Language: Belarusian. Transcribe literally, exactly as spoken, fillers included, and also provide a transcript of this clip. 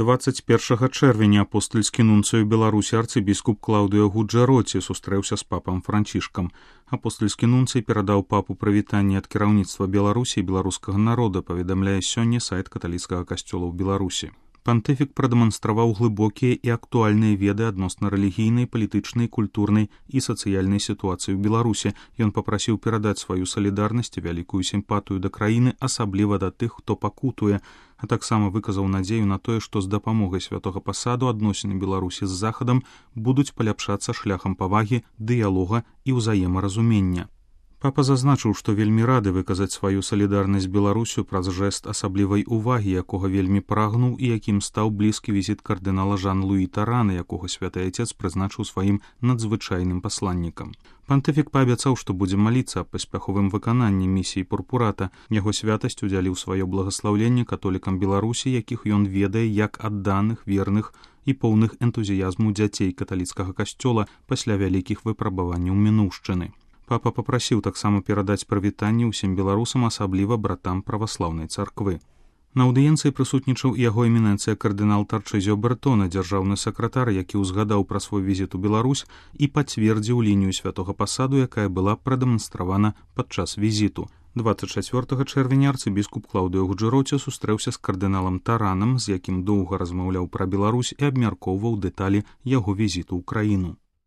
дваццаць першага чэрвеня апостальскі нунцыю Беларусі арцыбіскуп Клаўдыо Гуджэроці сустрэўся з папам Францішкам. Апостальскі нунцый перадаў папу прывітанне ад кіраўніцтва Беларусі і беларускага народа, паведамляе сёння сайт каталіцкага касцёла ў Беларусі. Пантыфік прадэманстраваў глыбокія і актуальныя веды адносна рэлігійнай, палітычнай, культурнай і сацыяльнай сітуацыі ў Беларусі. Ён папрасіў перадаць сваю салідарнасць і вялікую сімпатыю да краіны, асабліва да тых, хто пакутуе, а таксама выказаў надзею на тое, што з дапамогай святога пасаду адносіны Беларусі з Захадам будуць паляпшацца шляхам павагі, дыялога і ўзаемаразумення. Папа зазначыў, што вельмі рады выказаць сваю салідарнасць з Беларусю праз жэст асаблівай увагі, якога вельмі прагнуў і якім стаў блізкі візіт кардынала Жан-Луі Тарана, якога святы Айцец прызначыў сваім надзвычайным пасланнікам. Пантыфік паабяцаў, што будзе маліцца аб паспяховым выкананні місіі пурпурата. Яго святасць удзяліў сваё благаслаўленне католікам Беларусі, якіх ён ведае як адданых, верных і поўных энтузіязму дзяцей каталіцкага касцёла пасля вялікіх выпрабаванняў мінуўшчыны. Папа папрасіў таксама перадаць прывітанне ўсім беларусам, асабліва братам праваслаўнай царквы. На аўдыенцыі прысутнічаў яго эмінэнцыя кардынал Тарчызіо Бертона, дзяржаўны сакратар, які ўзгадаў пра свой візіт у Беларусь і пацвердзіў лінію святога пасаду, якая была прадэманстравана падчас візіту. дваццаць чацвёртага чэрвеня арцыбіскуп Клаўдыо Гуджэроці сустрэўся з кардыналам Таранам, з якім доўга размаўляў пра Беларусь і абмяркоўваў дэталі яго візіту ў краіну.